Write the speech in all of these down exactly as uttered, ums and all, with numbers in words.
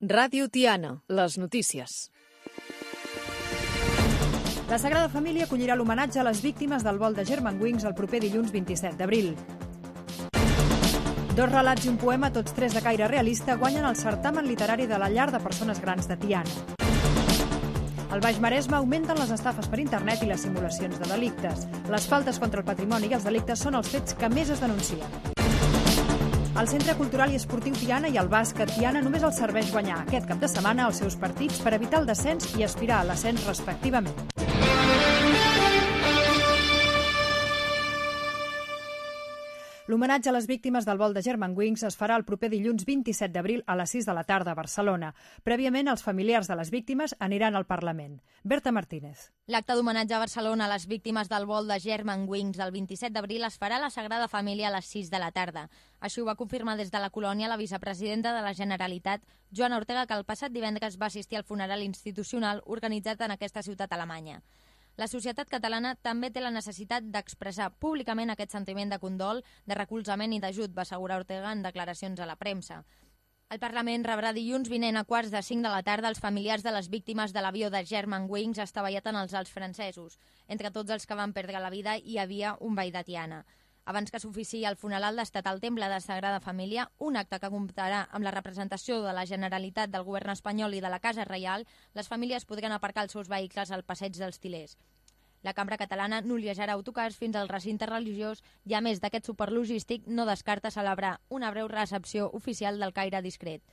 Ràdio Tiana, les notícies. La Sagrada Família acollirà l'homenatge a les víctimes del vol de Germanwings el proper dilluns vint-i-set d'abril. Dos relats i un poema, tots tres de caire realista, guanyen el certamen literari de la llar de persones grans de Tiana. Al Baix Maresme augmenten les estafes per internet i les simulacions de delictes. Les faltes contra el patrimoni i els delictes són els fets que més es denuncien. El Centre Cultural i Esportiu Tiana i el bàsquet Tiana només els serveix guanyar aquest cap de setmana els seus partits per evitar el descens i aspirar a l'ascens respectivament. L'homenatge a les víctimes del vol de Germanwings es farà el proper dilluns vint-i-set d'abril a les sis de la tarda a Barcelona. Prèviament, els familiars de les víctimes aniran al Parlament. Berta Martínez. L'acte d'homenatge a Barcelona a les víctimes del vol de Germanwings el vint-i-set d'abril es farà a la Sagrada Família a les sis de la tarda. Així ho va confirmar des de la colònia la vicepresidenta de la Generalitat, Joana Ortega, que el passat divendres va assistir al funeral institucional organitzat en aquesta ciutat alemanya. La societat catalana també té la necessitat d'expressar públicament aquest sentiment de condol, de recolzament i d'ajut, va assegurar Ortega en declaracions a la premsa. El Parlament rebrà dilluns vinent a quarts de cinc de la tarda els familiars de les víctimes de l'avió de Germanwings estavellat en els Alps francesos. Entre tots els que van perdre la vida hi havia un veí de Tiana. Abans que s'oficiï el funeral d'estat al Temple de Sagrada Família, un acte que comptarà amb la representació de la Generalitat, del govern espanyol i de la Casa Reial, les famílies podran aparcar els seus vehicles al passeig dels Til·lers. La Cambra Catalana noliejarà autocars fins al recinte religiós i, a més d'aquest suport logístic, no descarta celebrar una breu recepció oficial del caire discret.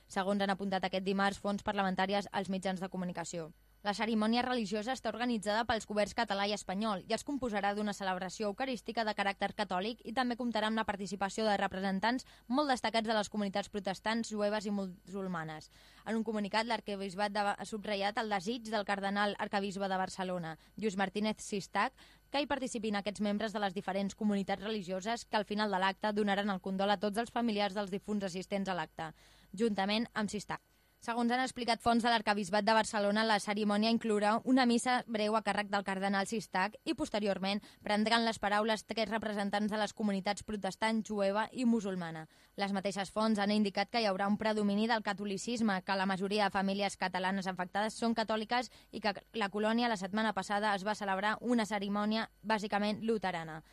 Segons han apuntat aquest dimarts fonts parlamentàries als mitjans de comunicació. La cerimònia religiosa està organitzada pels governs català i espanyol i es composarà d'una celebració eucarística de caràcter catòlic i també comptarà amb la participació de representants molt destacats de les comunitats protestants, jueves i musulmanes. En un comunicat, l'arquebisbat ha subratllat el desig del cardenal arquebisbe de Barcelona, Lluís Martínez Sistac, que hi participin aquests membres de les diferents comunitats religioses que al final de l'acte donaran el condol a tots els familiars dels difunts assistents a l'acte, juntament amb Sistac. Segons han explicat fonts de l'Arquebisbat de Barcelona, la cerimònia inclourà una missa breu a càrrec del cardenal Sistac i, posteriorment, prendran les paraules tres representants de les comunitats protestant, jueva i musulmana. Les mateixes fonts han indicat que hi haurà un predomini del catolicisme, que la majoria de famílies catalanes afectades són catòliques i que la colònia la setmana passada es va celebrar una cerimònia bàsicament luterana.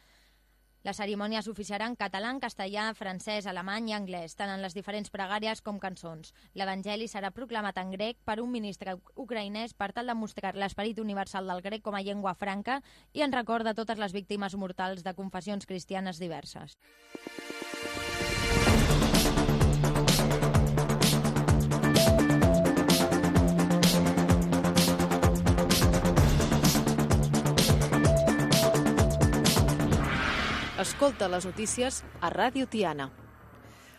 La cerimònia s'oficiarà en català, castellà, francès, alemany i anglès, tant en les diferents pregàries com cançons. L'Evangeli serà proclamat en grec per un ministre ucraïnès per tal de mostrar l'esperit universal del grec com a llengua franca i en record de totes les víctimes mortals de confessions cristianes diverses. Escolta les notícies a Ràdio Tiana.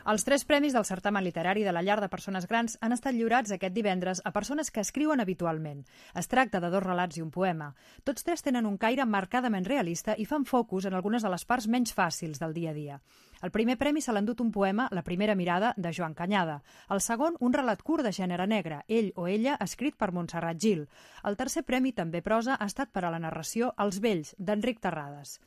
Els tres premis del certamen literari de la llar de persones grans han estat lliurats aquest divendres a persones que escriuen habitualment. Es tracta de dos relats i un poema. Tots tres tenen un caire marcadament realista i fan focus en algunes de les parts menys fàcils del dia a dia. El primer premi se l'ha endut un poema, La primera mirada, de Joan Canyada. El segon, un relat curt de gènere negre, Ell o ella, escrit per Montserrat Gil. El tercer premi, també prosa, ha estat per a la narració Els vells, d'Enric Terrades.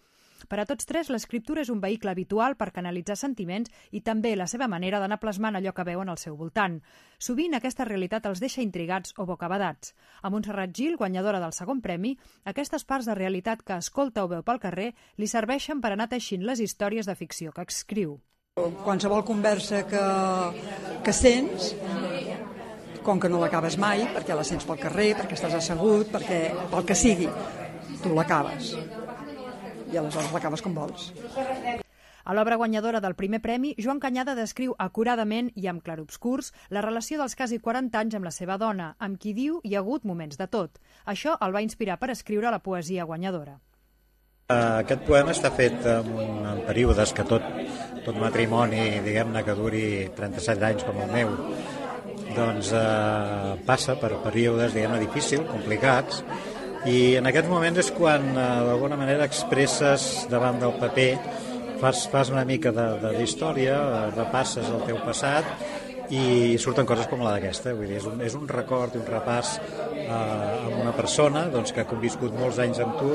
Per a tots tres, l'escriptura és un vehicle habitual per canalitzar sentiments i també la seva manera d'anar plasmant allò que veuen al seu voltant. Sovint aquesta realitat els deixa intrigats o bocabadats. A Montserrat Gil, guanyadora del segon premi, aquestes parts de realitat que escolta o veu pel carrer li serveixen per anar teixint les històries de ficció que escriu. Qualsevol conversa que, que sents, com que no l'acabes mai, perquè la sents pel carrer, perquè estàs assegut, perquè pel que sigui, tu l'acabes. I aleshores l'acabes com vols. A l'obra guanyadora del primer premi, Joan Canyada descriu acuradament i amb clarobscurs la relació dels quasi quaranta anys amb la seva dona, amb qui diu hi ha hagut moments de tot. Això el va inspirar per escriure la poesia guanyadora. Aquest poema està fet en, un, en períodes que tot, tot matrimoni, diguem-ne, que duri trenta-set anys com el meu, doncs eh, passa per períodes, diguem-ne, difícils, complicats, i en aquests moments és quan eh, d'alguna manera expresses davant del paper, fas, fas una mica d'història, repasses el teu passat i surten coses com la d'aquesta. Vull dir, és un, és un record i un repàs eh, amb una persona doncs, que ha conviscut molts anys amb tu.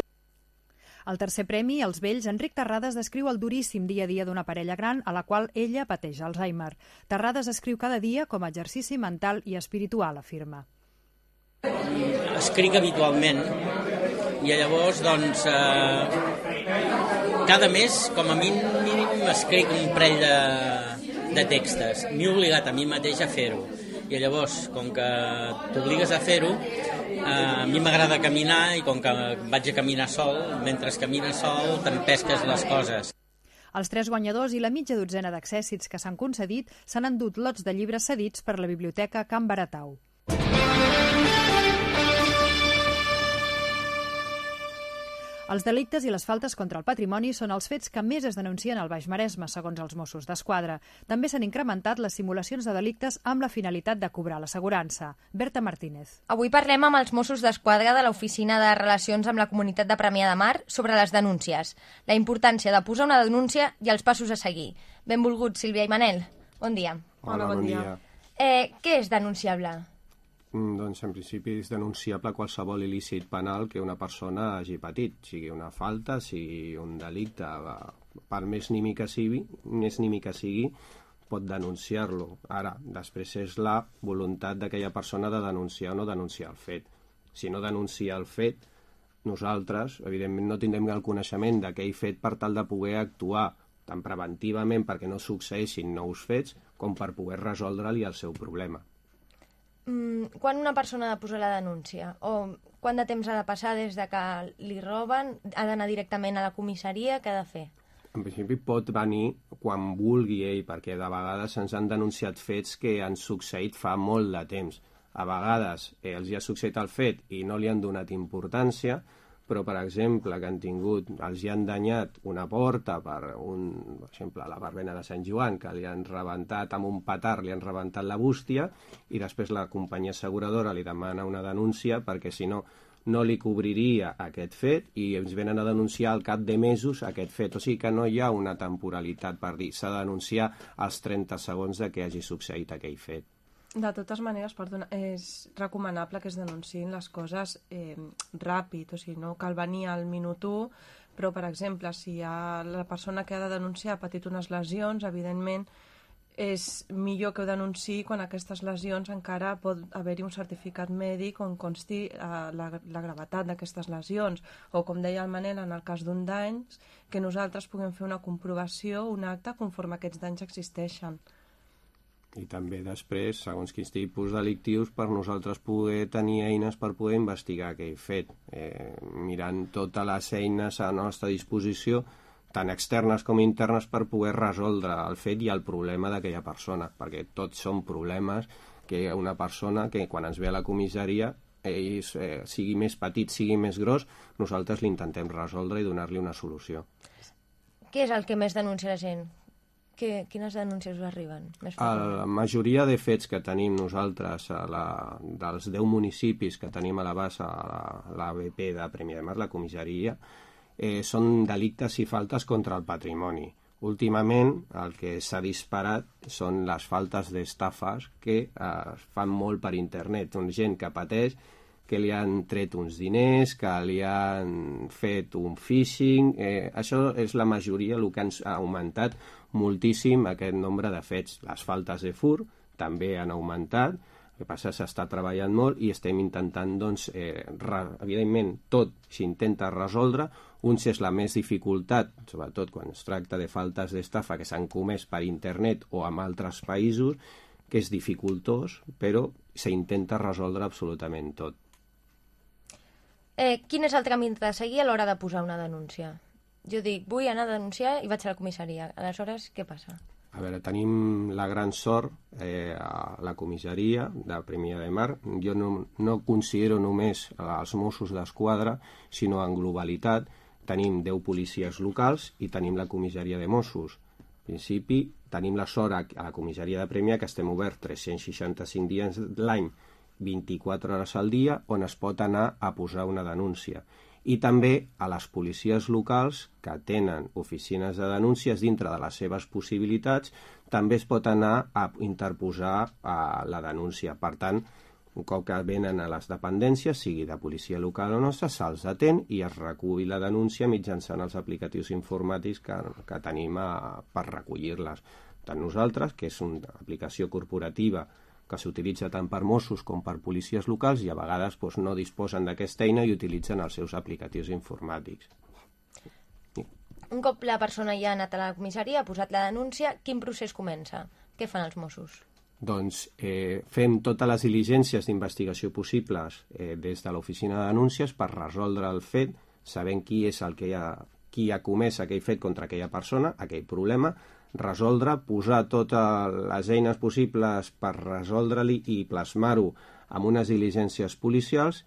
Al tercer premi, Els vells, Enric Terrades descriu el duríssim dia a dia d'una parella gran a la qual ella pateix Alzheimer. Terrades escriu cada dia com a exercici mental i espiritual, afirma. Escric habitualment i llavors, doncs, eh, cada mes, com a mínim, escric un parell de, de textos. M'he obligat a mi mateix a fer-ho. I llavors, com que t'obligues a fer-ho, eh, a mi m'agrada caminar i com que vaig a caminar sol, mentre camines sol t'empesques les coses. Els tres guanyadors i la mitja dotzena d'accèssits que s'han concedit s'han endut lots de llibres cedits per la Biblioteca Can Baratau. Els delictes i les faltes contra el patrimoni són els fets que més es denuncien al Baix Maresme, segons els Mossos d'Esquadra. També s'han incrementat les simulacions de delictes amb la finalitat de cobrar l'assegurança. Berta Martínez. Avui parlem amb els Mossos d'Esquadra de l'Oficina de Relacions amb la Comunitat de Premià de Mar sobre les denúncies, la importància de posar una denúncia i els passos a seguir. Benvolguts, Sílvia i Manel. Bon dia. Hola, bon dia. Eh, què és denunciable? Doncs en principi és denunciable qualsevol il·lícit penal que una persona hagi patit, sigui una falta, sigui un delicte, per més nimi que sigui, més nimi que sigui, pot denunciar-lo. Ara, després és la voluntat d'aquella persona de denunciar o no denunciar el fet. Si no denuncia el fet, nosaltres, evidentment, no tindrem el coneixement d'aquell fet per tal de poder actuar tant preventivament perquè no succeeixin nous fets com per poder resoldre-li el seu problema. Quan una persona ha de posar la denúncia? O quant de temps ha de passar des de que li roben? Ha d'anar directament a la comissaria? Què ha de fer? En principi pot venir quan vulgui ell, perquè de vegades ens han denunciat fets que han succeït fa molt de temps. A vegades eh, els hi ha succeït el fet i no li han donat importància, però, per exemple, que han tingut, els hi han danyat una porta, per, un, per exemple, a la verbena de Sant Joan, que li han rebentat amb un petard, li han rebentat la bústia, i després la companyia asseguradora li demana una denúncia perquè, si no, no li cobriria aquest fet i ens venen a denunciar al cap de mesos aquest fet. O sigui que no hi ha una temporalitat per dir, s'ha de denunciar als trenta segons de que hagi succeït aquell fet. De totes maneres, perdona, és recomanable que es denunciïn les coses eh, ràpid, o sigui, no cal venir al minut u, però, per exemple, si ha, la persona que ha de denunciar ha patit unes lesions, evidentment és millor que ho denunciï quan aquestes lesions encara pot haver-hi un certificat mèdic on consti eh, la, la gravetat d'aquestes lesions, o, com deia el Manel, en el cas d'un dany, que nosaltres puguem fer una comprovació, un acte, conforme aquests danys existeixen. I també després, segons quins tipus delictius, per nosaltres poder tenir eines per poder investigar aquell fet, eh, mirant totes les eines a la nostra disposició, tant externes com internes, per poder resoldre el fet i el problema d'aquella persona, perquè tots són problemes que una persona que quan ens ve a la comissaria, ell, eh, sigui més petit, sigui més gros, nosaltres l'intentem resoldre i donar-li una solució. Què és el que més denuncia la gent? Que, quines denúncies us arriben? Més la majoria de fets que tenim nosaltres a la, dels deu municipis que tenim a la base, a l'A B P de Premià de Mar, la comissaria, eh, són delictes i faltes contra el patrimoni. Últimament el que s'ha disparat són les faltes d'estafes que eh, es fan molt per internet. Una gent que pateix que li han tret uns diners, que li han fet un phishing. Eh, això és la majoria, el que ha augmentat moltíssim aquest nombre de fets. Les faltes de furt també han augmentat, el que passa s'està treballant molt i estem intentant, doncs, eh, re, evidentment, tot s'intenta resoldre. Uns és la més dificultat, sobretot quan es tracta de faltes d'estafa que s'han comès per internet o en altres països, que és dificultós, però s'intenta resoldre absolutament tot. Eh, quin és el tràmit a seguir a l'hora de posar una denúncia? Jo dic, vull anar a denunciar i vaig a la comissaria. Aleshores, què passa? A veure, tenim la gran sort eh, a la comissaria de Premià de Mar. Jo no, no considero només els Mossos d'Esquadra, sinó en globalitat. Tenim deu policies locals i tenim la comissaria de Mossos. En principi, tenim la sort a la comissaria de Premià que estem oberts tres-cents seixanta-cinc dies l'any, vint-i-quatre hores al dia, on es pot anar a posar una denúncia. I també a les policies locals que tenen oficines de denúncies dintre de les seves possibilitats, també es pot anar a interposar a la denúncia. Per tant, Un cop que venen a les dependències, sigui de policia local o nostra, se'ls atén i es recull la denúncia mitjançant els aplicatius informàtics que, que tenim a, per recollir-les. Tant nosaltres, que és una aplicació corporativa que s'utilitza tant per Mossos com per policies locals i a vegades doncs, no disposen d'aquesta eina i utilitzen els seus aplicatius informàtics. Un cop la persona ja ha anat a la comissaria, ha posat la denúncia, quin procés comença? Què fan els Mossos? Doncs eh, fem totes les diligències d'investigació possibles eh, des de l'oficina de denúncies per resoldre el fet, sabent qui és el que ha, qui ha comès aquell fet contra aquella persona, aquell problema, resoldre, posar totes les eines possibles per resoldre-li i plasmar-ho amb unes diligències policials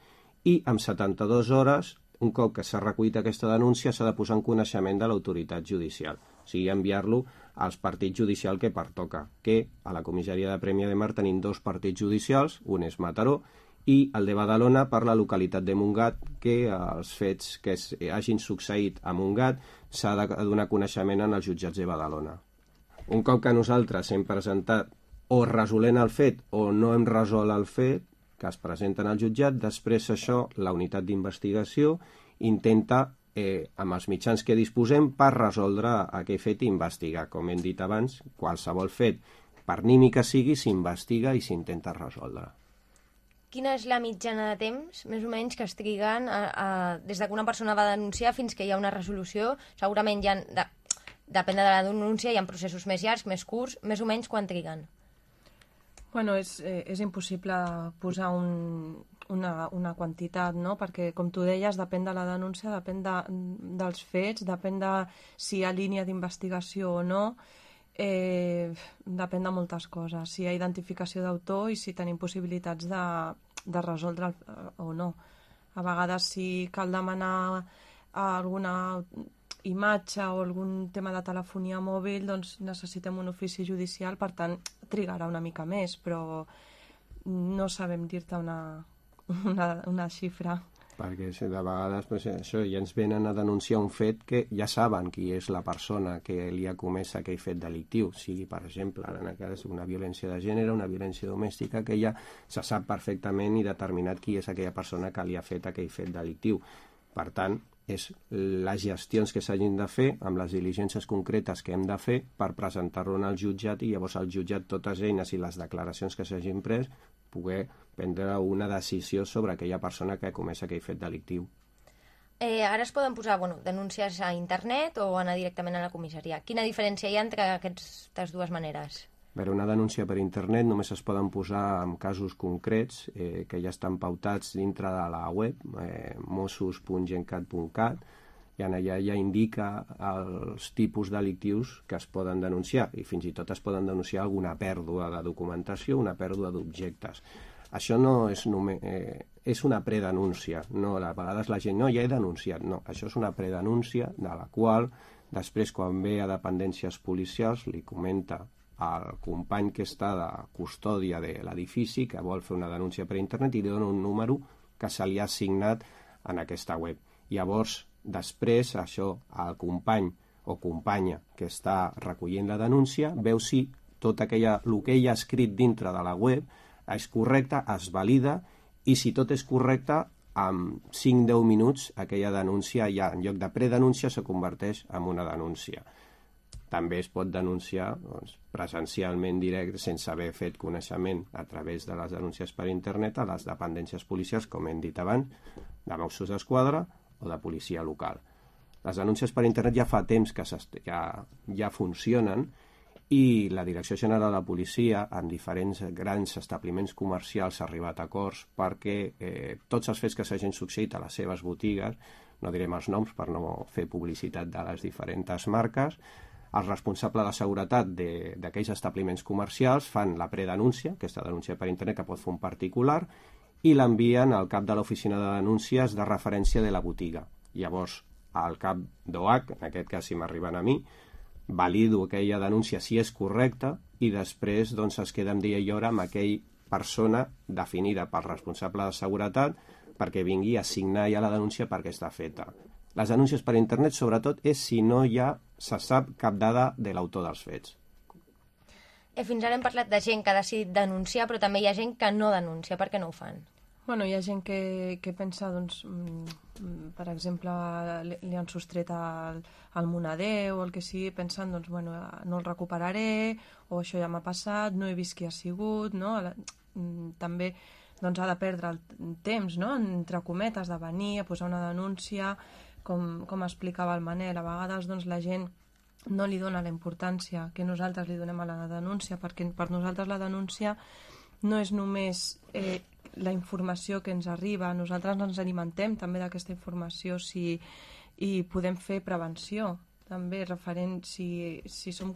i en setanta-dues hores, un cop que s'ha recollit aquesta denúncia, s'ha de posar en coneixement de l'autoritat judicial, o sigui, enviar-lo als partits judicials que pertoca, que a la comissaria de Premià de Mar tenim dos partits judicials, un és Mataró i el de Badalona per la localitat de Montgat, que els fets que es, hagin succeït a Montgat s'ha de donar coneixement en els jutjats de Badalona. Un cop que nosaltres hem presentat o resolent el fet o no hem resolt el fet, que es presenten al jutjat, després això la unitat d'investigació intenta Eh, amb els mitjans que disposem per resoldre aquell fet i investigar. Com hem dit abans, qualsevol fet, per nimi que sigui, s'investiga i s'intenta resoldre. Quina és la mitjana de temps, més o menys, que es triguen a, a, des que una persona va denunciar fins que hi ha una resolució? Segurament hi ha, de, depèn de la denúncia, hi ha processos més llargs, més curts, més o menys quan triguen? Bueno, és, eh, és impossible posar un, una, una quantitat, no? Perquè, com tu deies, depèn de la denúncia, depèn de, dels fets, depèn de si hi ha línia d'investigació o no, eh, depèn de moltes coses, si hi ha identificació d'autor i si tenim possibilitats de, de resoldre o no. A vegades, si cal demanar alguna imatge o algun tema de telefonia mòbil, doncs necessitem un ofici judicial, per tant, trigarà una mica més, però no sabem dir-te una, una, una xifra. Perquè de vegades pues, això, ja ens venen a denunciar un fet que ja saben qui és la persona que li ha comès aquell fet delictiu, sigui, per exemple, en aquest cas una violència de gènere, una violència domèstica, que ja se sap perfectament i determinat qui és aquella persona que li ha fet aquell fet delictiu. Per tant, és les gestions que s'hagin de fer amb les diligències concretes que hem de fer per presentar-lo al jutjat i llavors al jutjat totes eines i les declaracions que s'hagin pres poder prendre una decisió sobre aquella persona que ha comès aquell fet delictiu. Eh, ara es poden posar bueno, denúncies a internet o anar directament a la comissaria. Quina diferència hi ha entre aquestes dues maneres? Per una denúncia per internet només es poden posar en casos concrets eh, que ja estan pautats dintre de la web eh, mossos punt gencat punt cat i allà ja indica els tipus delictius que es poden denunciar i fins i tot es poden denunciar alguna pèrdua de documentació, una pèrdua d'objectes. Això no és només... Eh, és una predenúncia, no, a vegades la gent no, ja he denunciat, no, això és una predenúncia de la qual després quan ve a dependències policials li comenta al company que està de custòdia de l'edifici que vol fer una denúncia per internet i li dona un número que se li ha assignat en aquesta web. Llavors, després, això, el company o companya que està recollint la denúncia veu si tot aquella, el que ell ha escrit dintre de la web és correcte, es valida i si tot és correcte, en cinc a deu minuts aquella denúncia ja en lloc de predenúncia se converteix en una denúncia. També es pot denunciar doncs, presencialment directe sense haver fet coneixement a través de les denúncies per internet a les dependències policials, com hem dit abans, de Mossos d'Esquadra o de policia local. Les denúncies per internet ja fa temps que ja, ja funcionen i la Direcció General de la Policia en diferents grans establiments comercials ha arribat a acords perquè eh, tots els fets que s'hagin succeït a les seves botigues, no direm els noms per no fer publicitat de les diferents marques, el responsable de seguretat d'aquells establiments comercials fan la predenúncia, aquesta denúncia per internet que pot fer un particular, i l'envien al cap de l'oficina de denúncies de referència de la botiga. Llavors, al cap d'O H, en aquest cas si m'arriben a mi, valido aquella denúncia si és correcta i després doncs, es queda amb dia i hora amb aquella persona definida pel responsable de seguretat perquè vingui a signar ja la denúncia perquè està feta. Les denúncies per internet, sobretot, és si no hi ha, se sap cap dada de l'autor dels fets. Eh, fins ara hem parlat de gent que ha decidit denunciar, però també hi ha gent que no denuncia. Per què no ho fan? Bueno, hi ha gent que, que pensa, doncs, mm, per exemple, li, li han sostret el, el moneder o el que sigui, pensant, doncs, bueno, no el recuperaré, o això ja m'ha passat, no he vist qui ha sigut, no? També doncs, ha de perdre el temps, no? Entre cometes, de venir a posar una denúncia, com, com explicava el Manel. A vegades doncs, la gent no li dona la importància que nosaltres li donem a la denúncia, perquè per nosaltres la denúncia no és només eh, la informació que ens arriba, nosaltres ens alimentem també d'aquesta informació si, i podem fer prevenció també referent si, si som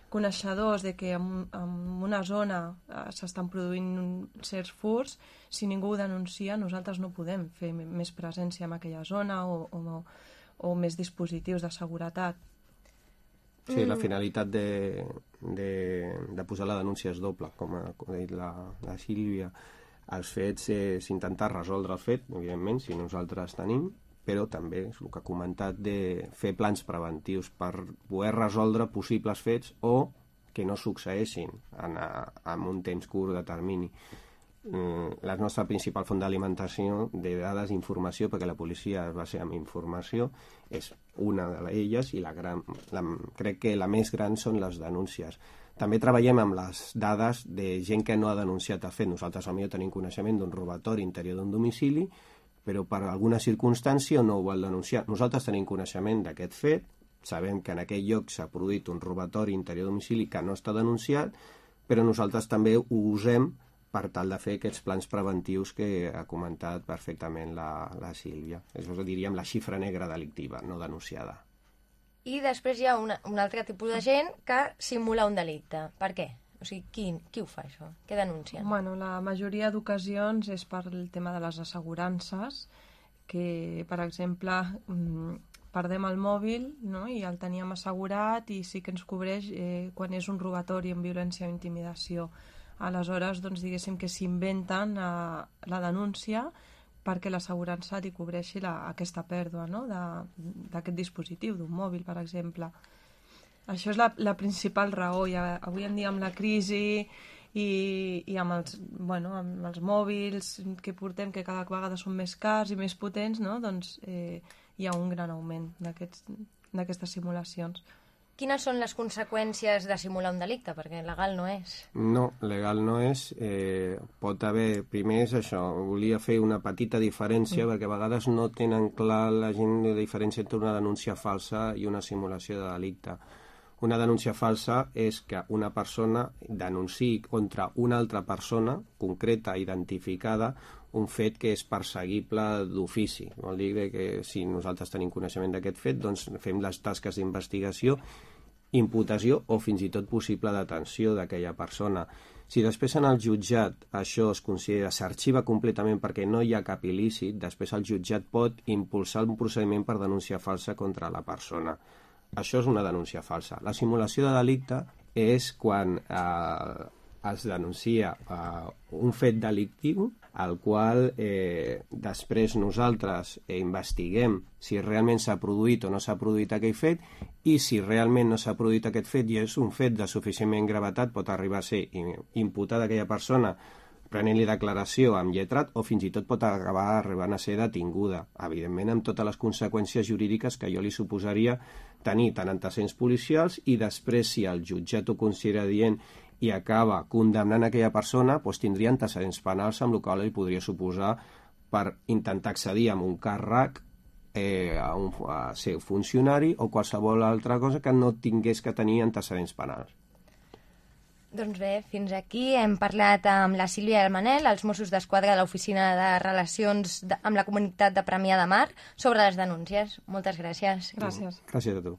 coneixedors de que en, en una zona eh, s'estan produint certs furts, si ningú ho denuncia nosaltres no podem fer més presència en aquella zona o, o, o més dispositius de seguretat. Sí, la finalitat de, de, de posar la denúncia és doble, com ha dit la, la Sílvia. Els fets és intentar resoldre el fet, evidentment, si nosaltres tenim, però també és el que ha comentat de fer plans preventius per poder resoldre possibles fets o que no succeeixin en, en un temps curt de termini. La nostra principal font d'alimentació de dades i informació, perquè la policia es basa en informació, és una d'elles i la gran, la, crec que la més gran són les denúncies. També treballem amb les dades de gent que no ha denunciat el fet. Nosaltres potser tenim coneixement d'un robatori interior d'un domicili, però per alguna circumstància no ho vol denunciar. Nosaltres tenim coneixement d'aquest fet, sabem que en aquell lloc s'ha produït un robatori interior d'un domicili que no està denunciat, però nosaltres també ho usem per tal de fer aquests plans preventius que ha comentat perfectament la, la Sílvia. És, diríem, la xifra negra delictiva, no denunciada. I després hi ha una, un altre tipus de gent que simula un delicte. Per què? O sigui, qui, qui ho fa, això? Què denuncien? Bueno, la majoria d'ocasions és per el tema de les assegurances, que, per exemple, perdem el mòbil, no? I el teníem assegurat i sí que ens cobreix eh, quan és un robatori amb violència o intimidació. Aleshores, doncs, diguéssim que s'inventen eh, la denúncia perquè l'assegurança li cobreixi la, aquesta pèrdua, no? d'aquest dispositiu, d'un mòbil, per exemple. Això és la, la principal raó. I avui en dia amb la crisi i, i amb, els, bueno, amb els mòbils que portem, que cada vegada són més cars i més potents, no? Doncs eh, hi ha un gran augment d'aquestes simulacions. Quines són les conseqüències de simular un delicte? Perquè legal no és. No, legal no és. Eh, pot haver, primer és això, volia fer una petita diferència, mm. perquè a vegades no tenen clar la gent la diferència entre una denúncia falsa i una simulació de delicte. Una denúncia falsa és que una persona denunciï contra una altra persona concreta, identificada, un fet que és perseguible d'ofici. Vol dir que si nosaltres tenim coneixement d'aquest fet, doncs fem les tasques d'investigació, imputació o fins i tot possible detenció d'aquella persona. Si després en el jutjat això es considera, s'arxiva completament perquè no hi ha cap il·lícit, després el jutjat pot impulsar un procediment per denúncia falsa contra la persona. Això és una denúncia falsa. La simulació de delicte és quan eh, es denuncia eh, un fet delictiu al qual eh, després nosaltres eh, investiguem si realment s'ha produït o no s'ha produït aquell fet, i si realment no s'ha produït aquest fet i és un fet de suficientment gravetat, pot arribar a ser imputada aquella persona prenent-li declaració amb lletrat o fins i tot pot acabar arribant a ser detinguda, evidentment amb totes les conseqüències jurídiques que jo li suposaria tenir tant antecedents policials, i després si el jutjat ho considera dient i acaba condemnant aquella persona, doncs tindria antecedents penals amb el qual li podria suposar per intentar accedir a un càrrec, eh, a, un, a ser funcionari o qualsevol altra cosa que no tingués que tenir antecedents penals. Doncs bé, fins aquí hem parlat amb la Sílvia i el Manel, els Mossos d'Esquadra de l'Oficina de Relacions de, amb la Comunitat de Premià de Mar, sobre les denúncies. Moltes gràcies. Gràcies. Gràcies a tu.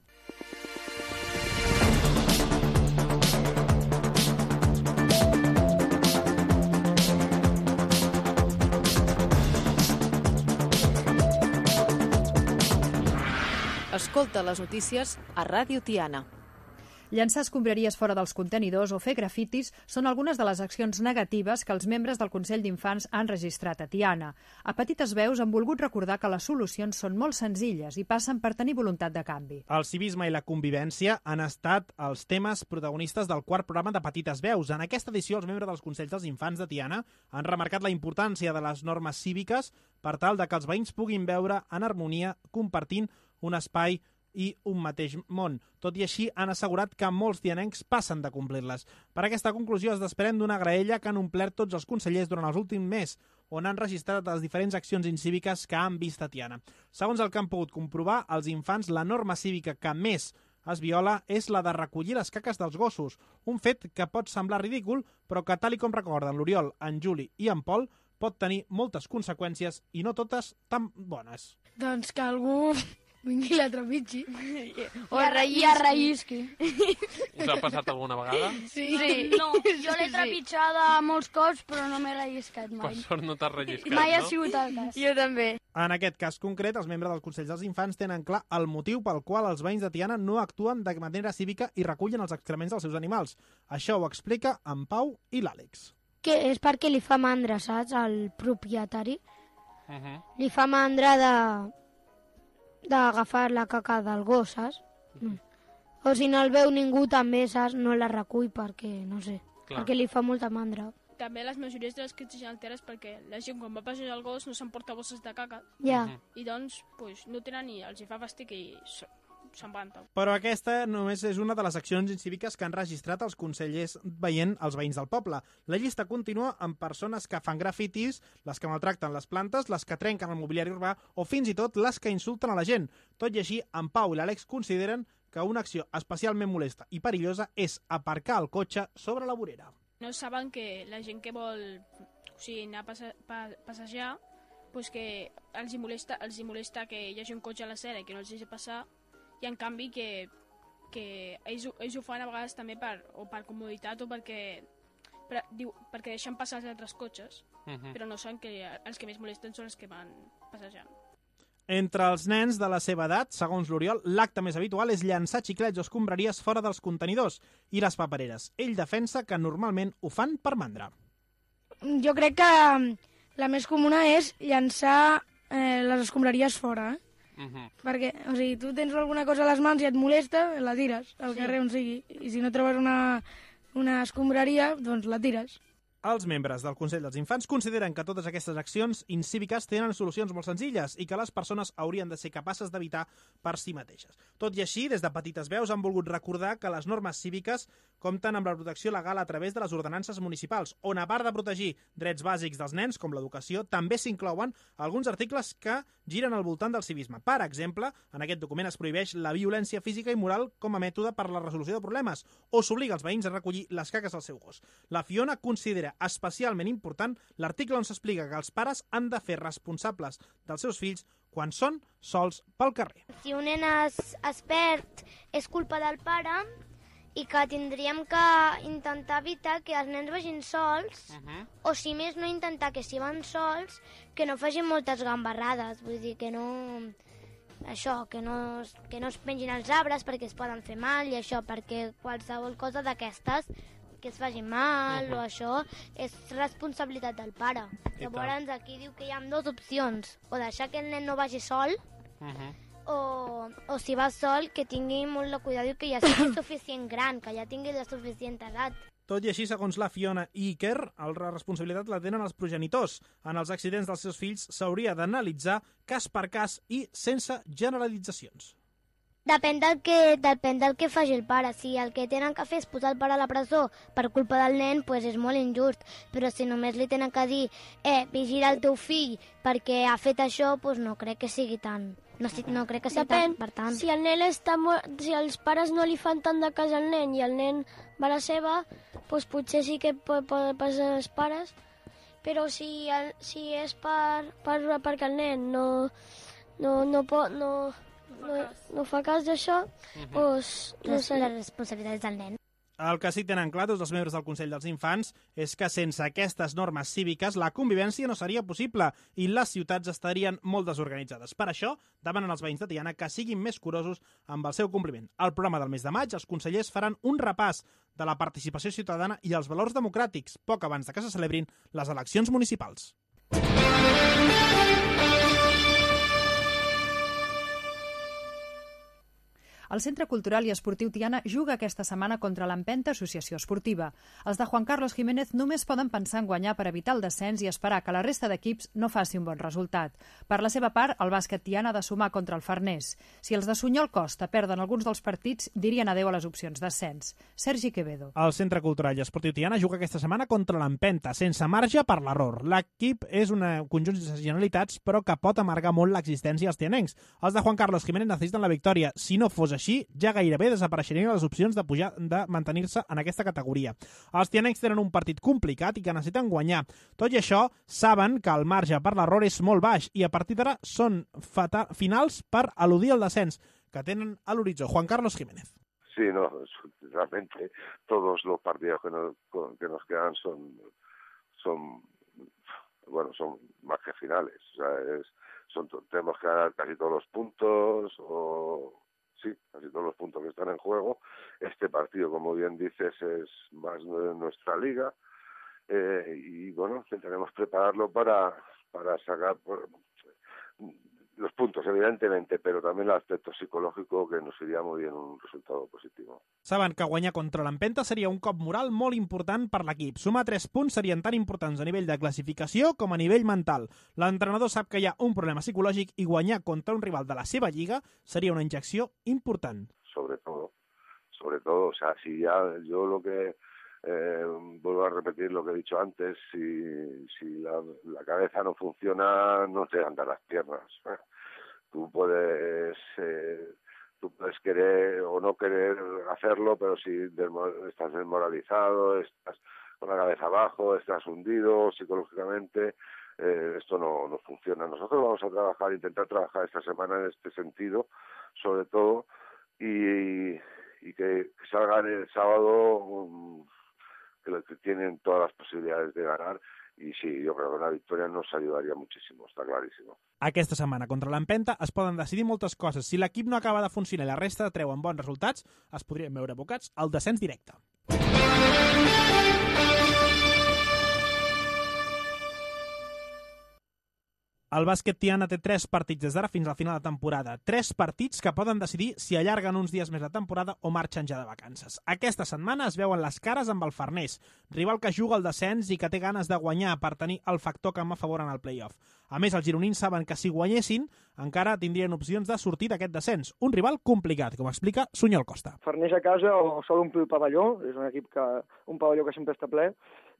Escolta les notícies a Ràdio Tiana. Llançar escombraries fora dels contenidors o fer grafitis són algunes de les accions negatives que els membres del Consell d'Infants han registrat a Tiana. A petites veus han volgut recordar que les solucions són molt senzilles i passen per tenir voluntat de canvi. El civisme i la convivència han estat els temes protagonistes del quart programa de Petites Veus. En aquesta edició, els membres dels Consells dels Infants de Tiana han remarcat la importància de les normes cíviques per tal de que els veïns puguin veure en harmonia compartint un espai i un mateix món. Tot i així, han assegurat que molts tianencs passen de complir-les. Per aquesta conclusió es desprèn d'una graella que han omplert tots els consellers durant els últims mes, on han registrat les diferents accions incíviques que han vist a Tiana. Segons el que han pogut comprovar, els infants, la norma cívica que més es viola és la de recollir les caques dels gossos, un fet que pot semblar ridícul, però que, tal i com recorden l'Oriol, en Juli i en Pol, pot tenir moltes conseqüències i no totes tan bones. Doncs que algú vingui i la trepitgi. O I a rellisqui. Us ha passat alguna vegada? Sí. sí. No, jo l'he trepitjada molts cops, però no m'he relliscat mai. Per sort no t'has relliscat, mai no? ha sigut el cas. Jo també. En aquest cas concret, els membres dels Consells dels Infants tenen clar el motiu pel qual els veïns de Tiana no actuen de manera cívica i recullen els excrements dels seus animals. Això ho explica en Pau i l'Àlex. Que és perquè li fa mandra, saps, al propietari. Uh -huh. Li fa mandra de d'agafar la caca del gos, saps? Mm. O si no el veu ningú també, saps? No la recull perquè, no sé, Clar. perquè li fa molta mandra. També les majories de les crítiques alteres perquè la gent quan va passejar el gos no s'emporta bosses de caca. Ja. Uh -huh. I doncs pues, no tenen ni els hi fa fàstic i se'n van. Però aquesta només és una de les accions incíviques que han registrat els consellers veient els veïns del poble. La llista continua amb persones que fan grafitis, les que maltracten les plantes, les que trenquen el mobiliari urbà o fins i tot les que insulten a la gent. Tot i així, en Pau i l'Àlex consideren que una acció especialment molesta i perillosa és aparcar el cotxe sobre la vorera. No saben que la gent que vol o sigui, anar a passe pa passejar pues que els hi, molesta, els hi molesta que hi hagi un cotxe a l'acera i que no els deixi passar, i en canvi que, que ells, ells ho fan a vegades també per, o per comoditat o perquè, per, diu, perquè deixen passar els altres cotxes, uh -huh. però no saben que els que més molesten són els que van passejant. Entre els nens de la seva edat, segons l'Oriol, l'acte més habitual és llançar xiclets o escombraries fora dels contenidors i les papereres. Ell defensa que normalment ho fan per mandra. Jo crec que la més comuna és llançar eh, les escombraries fora, eh? Uh -huh. Perquè, o sigui, tu tens alguna cosa a les mans i et molesta, la tires al sí. carrer on sigui. I si no trobes una, una escombraria, doncs la tires. Els membres del Consell dels Infants consideren que totes aquestes accions incíviques tenen solucions molt senzilles i que les persones haurien de ser capaces d'evitar per si mateixes. Tot i així, des de Petites Veus han volgut recordar que les normes cíviques compten amb la protecció legal a través de les ordenances municipals, on a part de protegir drets bàsics dels nens, com l'educació, també s'inclouen alguns articles que giren al voltant del civisme. Per exemple, en aquest document es prohibeix la violència física i moral com a mètode per la resolució de problemes, o s'obliga els veïns a recollir les caques del seu gos. La Fiona considera especialment important l'article on s'explica que els pares han de fer responsables dels seus fills quan són sols pel carrer. Si un nen es, es perd, és culpa del pare i que tindríem que intentar evitar que els nens vagin sols, uh -huh. o si més no intentar que si van sols, que no facin moltes gambarrades, vull dir, que no... això, que no, que no es pengin els arbres perquè es poden fer mal i això, perquè qualsevol cosa d'aquestes que es faci mal uh -huh. o això, és responsabilitat del pare. I Llavors aquí diu que hi ha dues opcions, o deixar que el nen no vagi sol, uh -huh. o, o si va sol, que tingui molt de cuidado i que ja sigui suficient gran, que ja tingui la suficient edat. Tot i així, segons la Fiona i Iker, la responsabilitat la tenen els progenitors. En els accidents dels seus fills s'hauria d'analitzar cas per cas i sense generalitzacions. Depèn del, que, depèn del que faci el pare. Si el que tenen que fer és posar el pare a la presó per culpa del nen, pues és molt injust. Però si només li tenen que dir eh, vigila el teu fill perquè ha fet això, pues no crec que sigui tan... No, no crec que sigui Depèn. tan, per tant. Si el nen està molt... si els pares no li fan tant de cas al nen i el nen va a la seva, pues potser sí que pot, pot passar als pares. Però si, el, si és per, per, perquè el nen no, no, no pot... No, No, no fa cas d'això, uh -huh. doncs... No sé, la responsabilitat és del nen. El que sí tenen clar tots els membres del Consell dels Infants és que sense aquestes normes cíviques la convivència no seria possible i les ciutats estarien molt desorganitzades. Per això, demanen als veïns de Tiana que siguin més curosos amb el seu compliment. Al programa del mes de maig, els consellers faran un repàs de la participació ciutadana i els valors democràtics, poc abans de que se celebrin les eleccions municipals. El Centre Cultural i Esportiu Tiana juga aquesta setmana contra l'Empenta Associació Esportiva. Els de Juan Carlos Jiménez només poden pensar en guanyar per evitar el descens i esperar que la resta d'equips no faci un bon resultat. Per la seva part, el bàsquet Tiana ha de sumar contra el Farners. Si els de Sunyol Costa perden alguns dels partits, dirien adeu a les opcions d'ascens. Sergi Quevedo. El Centre Cultural i Esportiu Tiana juga aquesta setmana contra l'Empenta, sense marge per l'error. L'equip és un conjunt de generalitats, però que pot amargar molt l'existència als tianencs. Els de Juan Carlos Jiménez necessiten la victòria. Si no fos així, ja gairebé desapareixerien les opcions de pujar de mantenir-se en aquesta categoria. Els tianencs tenen un partit complicat i que necessiten guanyar. Tot i això, saben que el marge per l'error és molt baix i a partir d'ara són finals per eludir el descens que tenen a l'horitzó. Juan Carlos Jiménez. Sí, no, realmente todos los partidos que nos, que nos quedan son, son, bueno, son más que finales. O sea, es, son, tenemos que ganar casi todos los puntos o... Sí, casi todos los puntos que están en juego. Este partido, como bien dices, es más de nuestra liga eh, y, bueno, intentaremos prepararlo para, para sacar por, los puntos, evidentemente, pero también el aspecto psicológico que nos iría muy bien un resultado positivo. Saben que guanyar contra l'Empenta seria un cop moral molt important per l'equip. Sumar tres punts serien tan importants a nivell de classificació com a nivell mental. L'entrenador sap que hi ha un problema psicològic i guanyar contra un rival de la seva lliga seria una injecció important. Sobre todo, sobre todo, o sea, si ya yo lo que Eh, vuelvo a repetir lo que he dicho antes, si, si la, la cabeza no funciona, no te andan las piernas. Tú puedes, eh, tú puedes querer o no querer hacerlo, pero si estás desmoralizado, estás con la cabeza abajo, estás hundido psicológicamente, eh, esto no, no funciona. Nosotros vamos a trabajar, intentar trabajar esta semana en este sentido, sobre todo, y, y que salgan el sábado um, que tienen todas las posibilidades de ganar i sí, jo crec que una victòria nos ayudaría muchísimo, està claríssim. Aquesta setmana contra l'Empenta es poden decidir moltes coses. Si l'equip no acaba de funcionar i la resta treuen bons resultats, es podrien veure abocats al descens directe. El bàsquet Tiana té tres partits des d'ara fins al final de temporada. Tres partits que poden decidir si allarguen uns dies més la temporada o marxen ja de vacances. Aquesta setmana es veuen les cares amb el Farners, rival que juga al descens i que té ganes de guanyar per tenir el factor camp a favor en el play-off. A més, els gironins saben que si guanyessin encara tindrien opcions de sortir d'aquest descens. Un rival complicat, com explica Sunyol Costa. Farners a casa o sol omplir el pavelló, és un equip que, un pavelló que sempre està ple.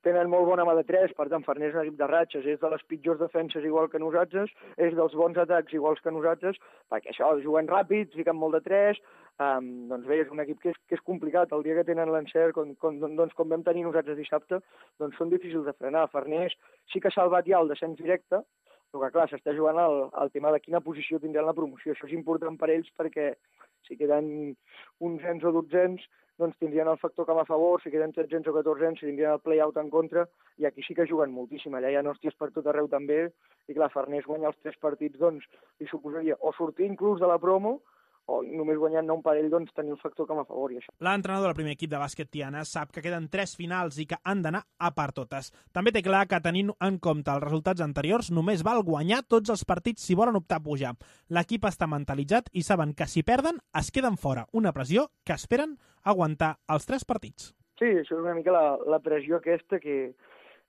Tenen molt bona mà de tres, per tant, Farners és un equip de ratxes, és de les pitjors defenses igual que nosaltres, és dels bons atacs iguals que nosaltres, perquè això, juguen ràpid, fiquen molt de tres, um, doncs bé, és un equip que és, que és complicat. El dia que tenen l'encert, com, com, doncs, com vam tenir nosaltres dissabte, doncs són difícils de frenar. Farners sí que ha salvat ja el descens directe, però que, clar, s'està jugant el, el tema de quina posició tindran la promoció. Això és important per ells perquè si queden onzens o dotzens, doncs tindrien el factor camp a favor, si queden tretzens o catorzens, si tindrien el play-out en contra, i aquí sí que juguen moltíssim. Allà hi ha hòsties per tot arreu també, i clar, Farners guanyar els tres partits, doncs, li suposaria o sortir inclús de la promo, o només guanyant-ne un parell, doncs tenir el factor camp a favor i això. L'entrenador del primer equip de bàsquet Tiana sap que queden tres finals i que han d'anar a per totes. També té clar que tenint en compte els resultats anteriors només val guanyar tots els partits si volen optar a pujar. L'equip està mentalitzat i saben que si perden es queden fora. Una pressió que esperen aguantar els tres partits. Sí, això és una mica la, la pressió aquesta que,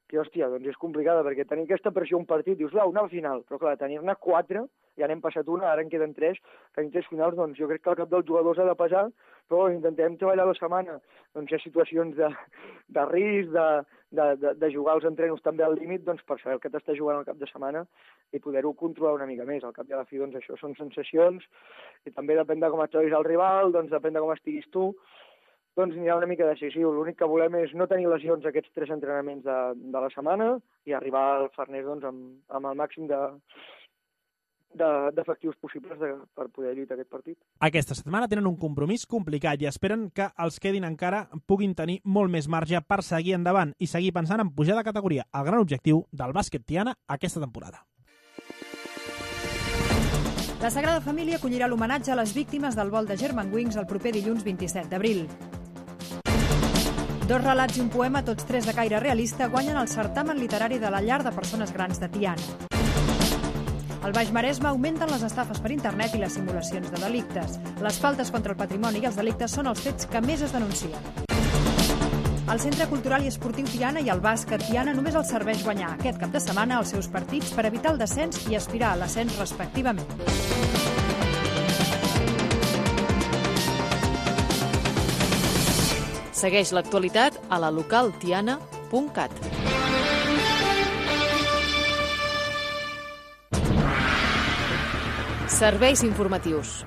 que, hòstia, doncs és complicada, perquè tenir aquesta pressió un partit, dius, va, una final, però clar, tenir-ne quatre, ja n'hem passat una, ara en queden tres, tenir tres finals, doncs jo crec que el cap dels jugadors ha de pesar, però intentem treballar la setmana. Doncs hi ha situacions de, de risc, de, de, de, de jugar els entrenos també al límit, doncs per saber el que t'està jugant al cap de setmana i poder-ho controlar una mica més. Al cap i a la fi, doncs això són sensacions, i també depèn de com et trobis el rival, doncs depèn de com estiguis tu, doncs anirà una mica decisiu. L'únic que volem és no tenir lesions aquests tres entrenaments de, de la setmana i arribar al Farners doncs, amb, amb el màxim de de- d'efectius possibles de, per poder lluitar aquest partit. Aquesta setmana tenen un compromís complicat i esperen que els quedin encara puguin tenir molt més marge per seguir endavant i seguir pensant en pujar de categoria, el gran objectiu del bàsquet Tiana aquesta temporada. La Sagrada Família acollirà l'homenatge a les víctimes del vol de Germanwings el proper dilluns vint-i-set d'abril. Dos relats i un poema, tots tres de caire realista, guanyen el certamen literari de la llar de persones grans de Tiana. Al Baix Maresme augmenten les estafes per internet i les simulacions de delictes. Les faltes contra el patrimoni i els delictes són els fets que més es denuncien. El Centre Cultural i Esportiu Tiana i el bàsquet Tiana només els serveix guanyar aquest cap de setmana els seus partits per evitar el descens i aspirar a l'ascens respectivament. Segueix l'actualitat a la local tiana punt cat. Serveis informatius.